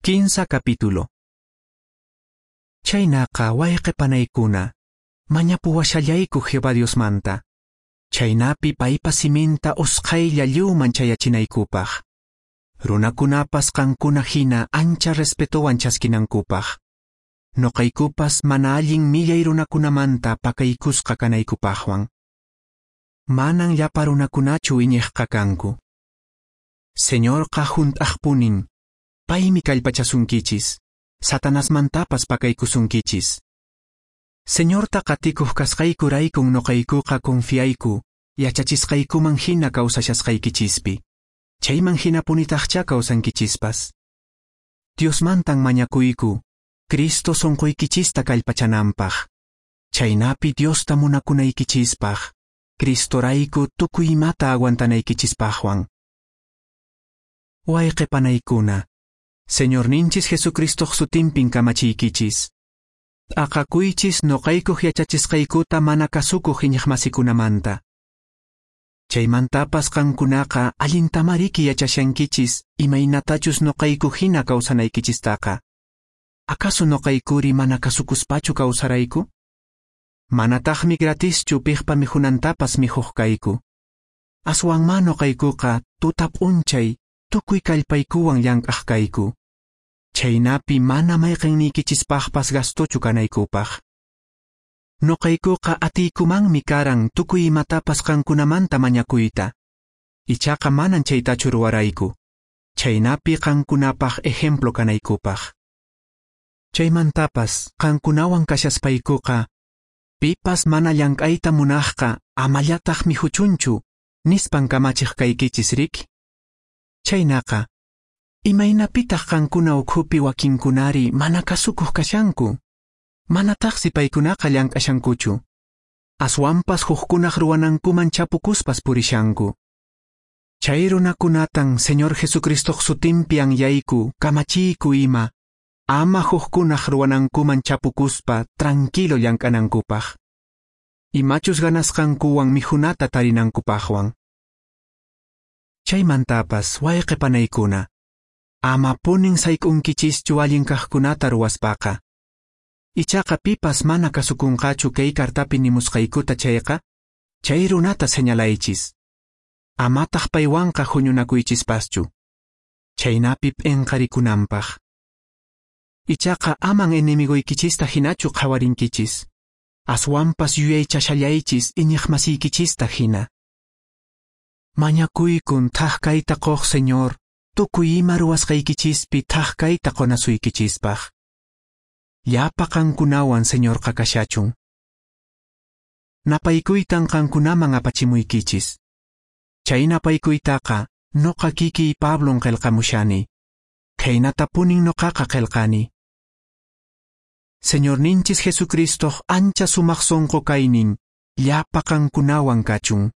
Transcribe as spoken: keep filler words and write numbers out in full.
Kinsa capítulo. Chaynaqa wayqe panaykuna, mañapuwashallayku Jehová Diosmanta. Chaynapi paypa siminta usqhaylla lliwman chayachinaykupaq. Runakunapas qankuna hina ancha respetowan chaskinankupaq. Noqaykupas mana allin millay runakunamanta pakaykusqa kanaykupaqwan. Manan llapa runakunachu iñiqqa kanku. Señorqa hunt'aqpunin, paymi kallpachasunkichis, Satanasmantapas pakaykusunkichis. Señorta qatikuq kasqaykuraykun noqaykuqa confiayku, yachachisqaykuman hina kawsashasqaykichispi. Chayman hinapunitaqchá kawsankichispas. Diosmantan mañakuyku, Cristo sonqoykichista kallpachananpaq. Chaynapi Diosta munakunaykichispaq, Cristorayku tukuy imata aguantanaykichispaqwan. Wayqe panaykuna, Señorninchis Jesucristoq sutinpin kamachiykichis. T'aqakuychis noqaykuq yachachisqaykuta mana kasukuq iñiqmasikunamanta. Chaymantapas qankunaqa allintamariki yachashankichis imaynatachus noqayku hina kawsanaykichistaqa. ¿Acaso noqaykuri mana kasukuspachu kawsarayku? Manataqmi gratischu piqpa mikhunantapas mikhuq kayku. Aswanmá noqaykuqa tuta p'unchay tukuy kallpaykuwan llank'aq kayku. Chaynapi mana mayqanniykichispaqpas gastochu kanaykupaq. Noqaykuqa atiykumanmi karan tukuy imatapas qankunamanta mañakuyta. Ichaqa manan chaytachu ruwarayku. Chaynapi qankunapaq ejemplo kanaykupaq. Chaymantapas qankunawan kashaspaykuqa, pipas mana llank'ayta munaqqa amallataq mikhuchunchu, nispan kamachiq kaykichis riki. Chaynaqa, imaynapitaq qankuna ukhupi wakinkunari mana kasukuq kashanku? Manataqsi paykunaqa llank'ashankuchu. Aswanpas hukkunaq ruwanankuman chapukuspas purishanku. Chay runakunatan Señor Jesucristoq sutinpi anyayku, kamachiyku ima, ama hukkunaq ruwanankuman chapukuspa tranquilo llank'anankupaq. Imachus ganasqankuwan mikhunata tarinankupaqwan. Chaymantapas wayqe panaykuna, amapunin sayk'unkichischu allin kaqkunata ruwaspaqa. Ichaqa pipas mana kasukunqachu kay cartapi nimusqaykuta chayqa, chay runata señalaychis. Amataq paywanqa huñunakuychispaschu. Chaynapi p'inqarikunanpaq. Ichaqa aman enemigoykichista hinachu qhawarinkichis. Aswanpas yuyaychashallaychis iñiqmasiykichista hina. Mañakuykun thak kayta quq Señor, tukuy ima ruwasqaykichispi thak kayta qonasuykichispaq. Llapa qankunawan Señorqa kashachun. Napaykuytan qankunaman apachimuykichis. Chay napaykuytaqa noqa kikiy Pablon qillqamushani. Khaynatapunin noqaqa qillqani. Señorninchis Jesucristoq ancha sumaq sonqo kaynin llapa qankunawan kachun.